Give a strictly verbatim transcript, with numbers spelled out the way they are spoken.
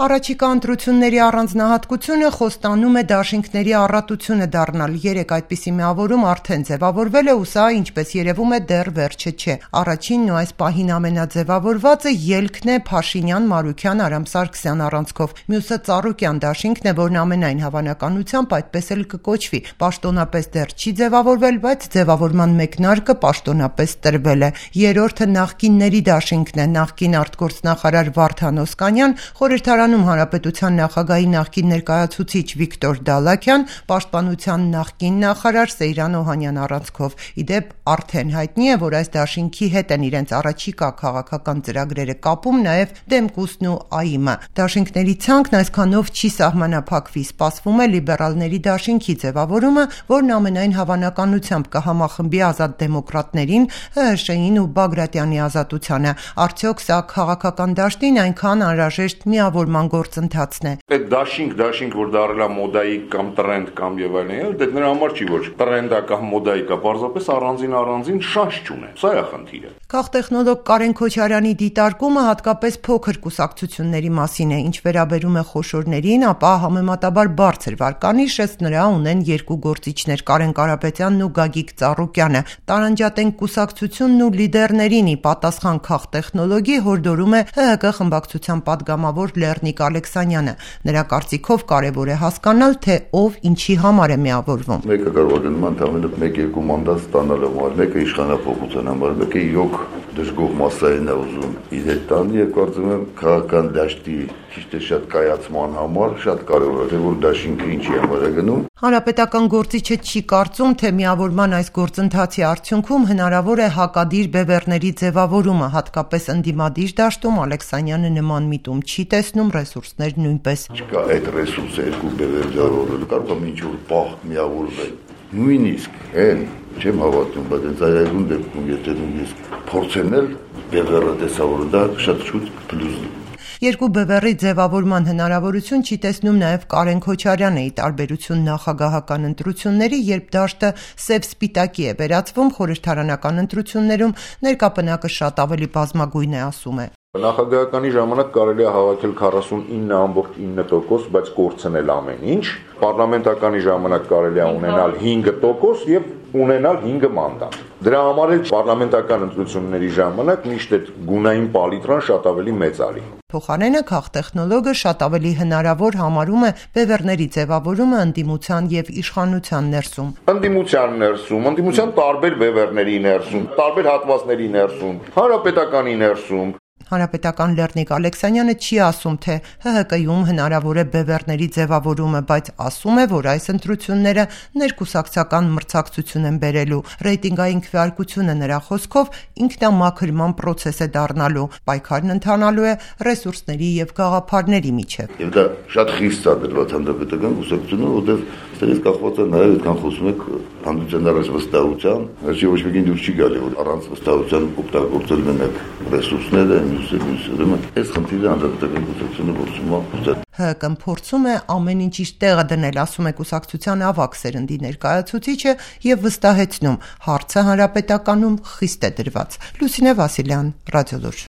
Առաջիկա ընտրությունների առանձնահատկությունը խոստանում է դաշինքների առատությունը դառնալ։ Երեք այդպիսի միավորում արդեն ձևավորվել է ու սա, ինչպես երևում է, դեռ վերջը չէ։ Առաջինն ու այս պահին ամենաձևավորվածը ելքն է Փաշինյան-Մարուքյան- Արամ Սարգսյան առանցքով։ Մյուսը Ծառուկյան դաշինքն է, որն ամենայն հավանականությամբ այդպես էլ կկոչվի։ Պաշտոնապես դեռ չի ձևավորվել, բայց ձևավորման մեկնարկը պաշտոնապես տրվել է։ Երրորդը նախկինների դաշինքն է։ Նախկին արտգործնախարար Վարդան Օսկանյան, խորհրդարան Հանրապետության նախագահի նախկին ներկայացուցիչ Վիկտոր Դալաքյան, պաշտպանության նախկին նախարար Սեյրան Օհանյան առանցքով։ Ի դեպ, արդեն հայտնի է, որ այս դաշինքի հետ են իրենց առաջիկա քաղաքական ծրագրերը կապում նաև Դեմկուսն ու ԱԻՄ-ը։ Դաշինքների ցանկն այսքանով չի սահմանափակվի։ Սպասվում է լիբերալների դաշինքի ձևավորումը, որն ամենայն հավանականությամբ կհամախմբի Ազատ դեմոկրատներին, ՀՀՇ-ին ու Բագրատյանի ազատությանը։ Արդյոք սա քաղաքական դաշտին այնքան անհրաժեշտ միավորման գործընթացն է։ Այդ դաշինք, դաշինք, որ դառել է մոդայիկ կամ տրենդ կամ եւ այլն, դա նրա համար չի, որ տրենդա կամ մոդայիկա, պարզապես առանձին առանձին շանս չունեն։ Սա է խնդիրը։ Քաղտեխնոլոգ Կարեն Քոչարյանի դիտարկումը հատկապես փոքր կուսակցությունների մասին է, ինչ վերաբերում է խոշորներին, ապա համեմատաբար բարձր վարկանիշ ըստ նրա ունեն երկու գործիչներ՝ Կարեն Կարապետյանն ու Գագիկ Ծառուկյանը։ Տարանջատեն կուսակցությունն ու լիդերներին՝ ի պատասխան քաղտեխնոլոգի հորդորում է ՀՀԿ խմբակցության պատգամավոր Լեռնիկ Ալեքսանյանը։ Նրա կարծիքով կարևոր է հասկանալ, թե ով ինչի համար է միավորվում։ Մեկը կարող է նման թամենը մեկ-երկու մանդատ ստանալու համար, մեկը իշխանապողության համար, մեկը իրոք դժգոհ մասային է ուզում իր հետ տան, եւ կարծում եմ քաղաքական դաշտի ճիշտ է շատ կայացման համար շատ կարևոր է, որ դաշինքը ինչի համար է գնում։ Հանրապետական գործիչը չի կարծում, թե միավորման այս գործընթացի արդյունքում հնարավոր է հակադիր բևեռների ձևավորումը, հատկապես ընդդիմադիր դաշտում Ալեքսանյանը նման միտում չի տեսնում, ռեսուրսներ նույնպես։ Չկա այդ ռեսուրսը երկու բևեր ձևավորելու, կարող է ինչ-որ պահ միավորվել։ Նույնիսկ են չեմ հավատում, բայց այս այգուն դեպքում եթե նույնիսկ փորձել բևեռը տեսավորել, դա շատ շուտ պլյուս։ Երկու բևեռի ձևավորման հնարավորություն չի տեսնում նաև Կարեն Քոչարյանը՝ ի տարբերություն նախագահական ընտրությունների, երբ դաշտը սև-սպիտակի է վերածվում, խորհրդարանական ընտրություններում ներկա պնակը շատ ավելի բազմագույն է, ասում է։ Նախագահականի ժամանակ կարելի է հավաքել քառասունինը կόμμα ինը տոկոս, բայց կորցնել ամեն ինչ։ Պարլամենտականի ժամանակ կարելի է ունենալ հինգ տոկոս եւ ունենալ հինգ մանդատ։ Դրա համար էլ պարլամենտական ընտրությունների ժամանակ միշտ այդ գունային պալիտրան շատ ավելի մեծ արի։ Փոխարենը քաղտեխնոլոգը շատ ավելի հնարավոր համարում է բևեռների ձևավորումը ընդդիմության եւ իշխանության ներսում։ Ընդդիմության ներսում, ընդդիմության տարբեր բևեռների ներսում, տարբեր հատվածների ներսում, հանրապետականի ներսում։ Հանրապետական Լեռնիկ Ալեքսանյանը չի ասում, թե ՀՀԿ-ում հնարավոր է բևեռների ձևավորումը, բայց ասում է, որ այս ընտրությունները ներկուսակցական մրցակցություն են բերելու։ Ռեյտինգային քվեարկությունը նրա խոսքով ինքնամաքրման process է դառնալու, պայքարն ընթանալու է ռեսուրսների եւ գաղափարների միջեւ։ Եվ դա շատ խիստ է դրված հանրապետական կուսակցությունը, որտեղ ստերից կախված է նաեւ այդքան խոսում եք հանդիպության առաջ վստահության, հաշի ոչ մեկին դուր չի գալի, որ առանց վստահության օգտագործել մենակ ռեսուրսները, մյուսը, մյուսը, դե այս խնդիրը հանրապետական կուսակցությունը փորձում է։ ՀԿ-ն փորձում է ամեն ինչ իր տեղը դնել, ասում է կուսակցության ավագ սերնդի ներկայացուցիչը եւ վստահեցնում՝ հարցը հանրապետականում խիստ է դրված։ Լուսինե Վասիլյան, Ռադիոլուր։